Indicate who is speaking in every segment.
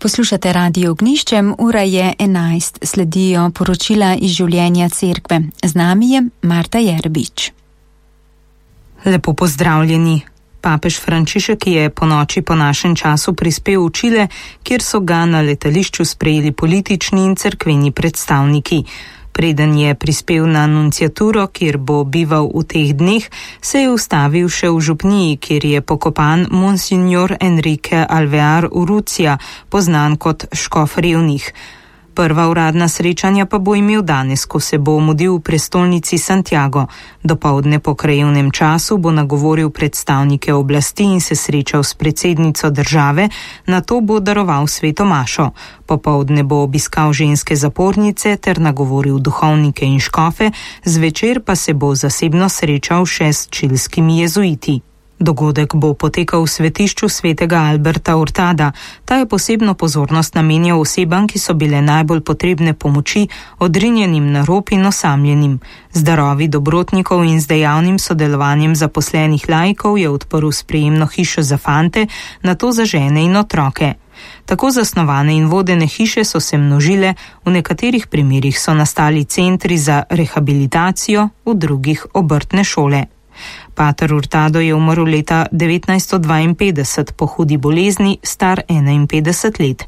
Speaker 1: Poslušate Radio Ognjišče, ura je 11, sledijo poročila iz življenja cerkve. Z nami je Marta Jerbič.
Speaker 2: Lepo pozdravljeni. Papež Frančišek je po noči po našem času prispel v Čile, kjer so ga na letališču sprejeli politični in cerkveni predstavniki. Preden je prispel na nunciaturo, kjer bo bival v teh dneh, se je ustavil še v župniji, kjer je pokopan Monsignor Enrique Alvear Urrutia, poznan kot škof revnih. Prva uradna srečanja pa bo imel danes, ko se bo mudil v prestolnici Santiago. Dopoldne po krajevnem času bo nagovoril predstavnike oblasti in se srečal s predsednico države, nato bo daroval sveto mašo. Popoldne bo obiskal ženske zapornice ter nagovoril duhovnike in škofe, zvečer pa se bo zasebno srečal še s čilskimi jezuiti. Dogodek bo potekal v svetišču svetega Alberta Hurtada. Ta je posebno pozornost namenjal osebam, ki so bile najbolj potrebne pomoči, odrinjenim na rob in osamljenim. Z darovi dobrotnikov in z dejavnim sodelovanjem zaposlenih laikov je odprl sprejemno hišo za fante, nato za žene in otroke. Tako zasnovane in vodene hiše so se množile, v nekaterih primerih so nastali centri za rehabilitacijo, v drugih obrtne šole. Pater Hurtado je umrl leta 1952 po hudi bolezni, star 51 let.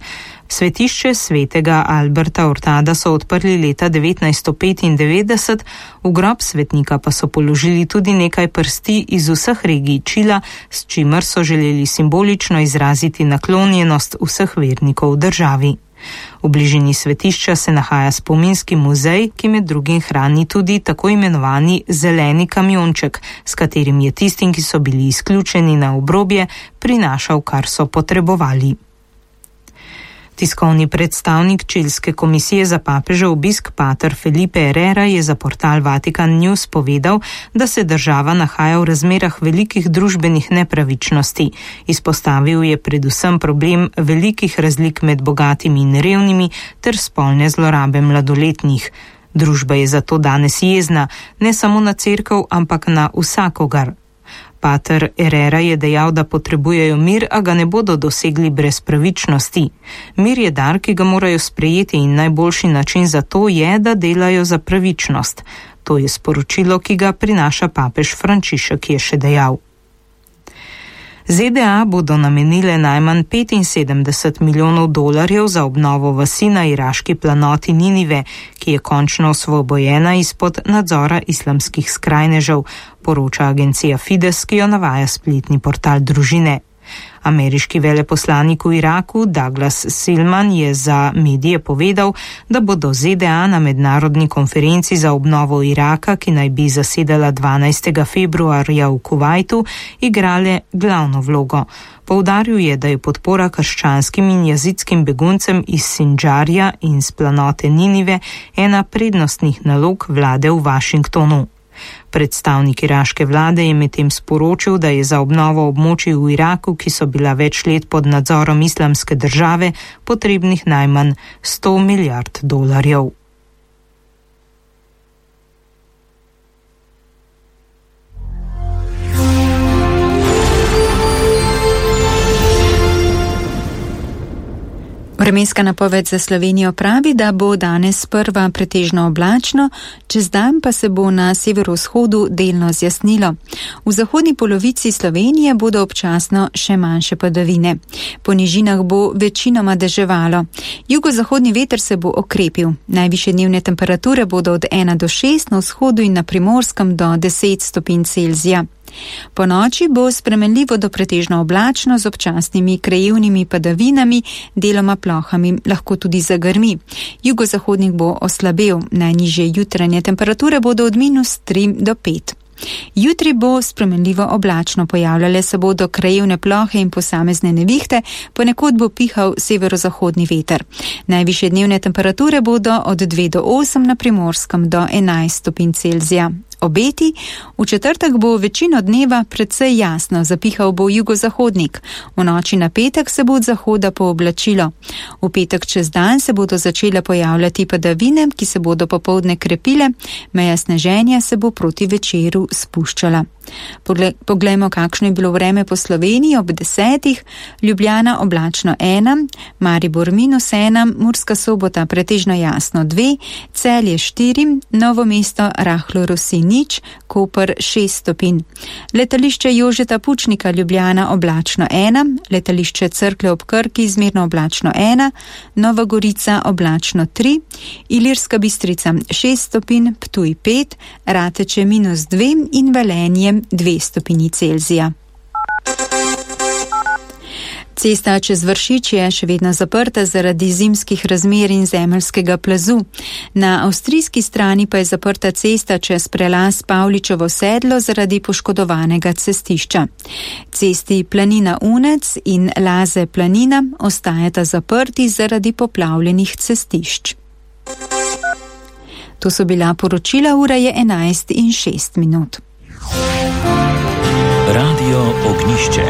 Speaker 2: Svetišče svetega Alberta Hurtada so odprli leta 1995, v grob svetnika pa so položili tudi nekaj prsti iz vseh regij Čila, s čimer so želeli simbolično izraziti naklonjenost vseh vernikov v državi. V bližini svetišča se nahaja spominski muzej, ki med drugim hrani tudi tako imenovani zeleni kamionček, s katerim je tistim, ki so bili izključeni na obrobje, prinašal, kar so potrebovali. Tiskovni predstavnik Čilske komisije za papežev obisk pater Felipe Herrera je za portal Vatican News povedal, da se država nahaja v razmerah velikih družbenih nepravičnosti. Izpostavil je predvsem problem velikih razlik med bogatimi in revnimi ter spolne zlorabe mladoletnih. Družba je zato danes jezna, ne samo na cerkev, ampak na vsakogar. Pater Herrera je dejal, da potrebujejo mir, a ga ne bodo dosegli brez pravičnosti. Mir je dar, ki ga morajo sprejeti in najboljši način za to je, da delajo za pravičnost. To je sporočilo, ki ga prinaša papež Frančišek, je še dejal. ZDA bodo namenile najmanj 75 milijonov dolarjev za obnovo vasi na iraški planoti Ninive, ki je končno osvobojena izpod nadzora islamskih skrajnežev, poroča agencija Fides, ki jo navaja spletni portal Družine. Ameriški veleposlanik v Iraku Douglas Silman je za medije povedal, da bodo ZDA na mednarodni konferenci za obnovo Iraka, ki naj bi zasedala 12. februarja v Kuvajtu, igrale glavno vlogo. Poudaril je, da je podpora krščanskim in jazitskim beguncem iz Sindžarja in z planote Ninive ena prednostnih nalog vlade v Washingtonu. Predstavnik iraške vlade je medtem sporočil, da je za obnovo območij v Iraku, ki so bila več let pod nadzorom islamske države, potrebnih najmanj 100 milijard dolarjev.
Speaker 1: Vremenska napoved za Slovenijo pravi, da bo danes sprva pretežno oblačno, čez dan pa se bo na severovzhodu delno zjasnilo. V zahodni polovici Slovenije bodo občasno še manjše padavine. Po nižinah bo večinoma deževalo. Jugozahodni veter se bo okrepil. Najvišje dnevne temperature bodo od 1 do 6, na vzhodu in na Primorskem do 10 stopinj Celzija. Po noči bo spremenljivo do pretežno oblačno z občasnimi krajevnimi padavinami, deloma plohami, lahko tudi zagrmi. Jugozahodnik bo oslabel, najnižje jutranje temperature bodo od -3 do 5. Jutri bo spremenljivo oblačno, pojavljale se bodo krajevne plohe in posamezne nevihte, ponekod bo pihal severozahodni veter. Najvišje dnevne temperature bodo od 2 do 8 na Primorskem do 11 stopinj Celzija. Obeti: v četrtek bo večino dneva precej jasno, zapihal bo jugozahodnik. V noči na petek se bo od zahoda pooblačilo. V petek čez dan se bodo začele pojavljati padavine, ki se bodo popoldne krepile, meja sneženja se bo proti večeru spuščala. Poglejmo, kakšno je bilo vreme po Sloveniji ob 10. Ljubljana oblačno 1, Maribor -1, Murska Sobota pretežno jasno 2, Celje 4, Novo mesto rahlo rosi 0, Koper 6 stopinj. Letališče Jožeta Pučnika Ljubljana oblačno 1, letališče Cerklje ob Krki zmerno oblačno 1, Nova Gorica oblačno 3, Ilirska Bistrica 6 stopinj, Ptuj 5, Rateče -2 in Velenje 2 stopinji Celzija. Cesta čez Vršič je še vedno zaprta zaradi zimskih razmer in zemeljskega plazu. Na avstrijski strani pa je zaprta cesta čez prelaz Pavličevo sedlo zaradi poškodovanega cestišča. Cesti Planina Unec in Laze Planina ostajata zaprti zaradi poplavljenih cestišč. To so bila poročila, ura je 11:06.
Speaker 3: Radio Ognišče.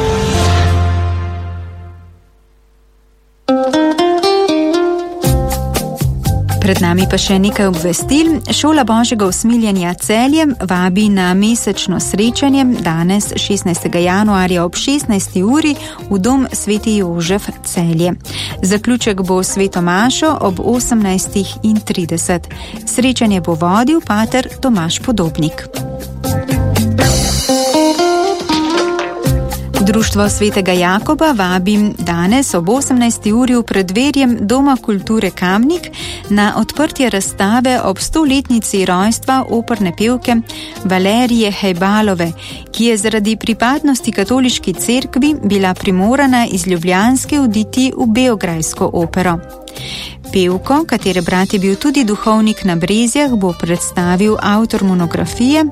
Speaker 1: Pred nami pa še nekaj obvestil. Šola Božjega usmiljenja Celje vabi na mesečno srečanje danes 16. januarja ob 16. uri v dom Sveti Jožef Celje. Zaključek bo sveto mašo ob 18:30. Srečanje bo vodil pater Tomaž Podobnik. Društvo Svetega Jakoba vabi danes ob 18. uri v predverjem Doma kulture Kamnik na odprtje razstave ob 100-letnici rojstva operne pevke Valerije Hejbalove, ki je zaradi pripadnosti katoliški cerkvi bila primorana iz Ljubljanske oditi v beograjsko opero. Pevko, katere brat je bil tudi duhovnik na Brezjah, bo predstavil avtor monografije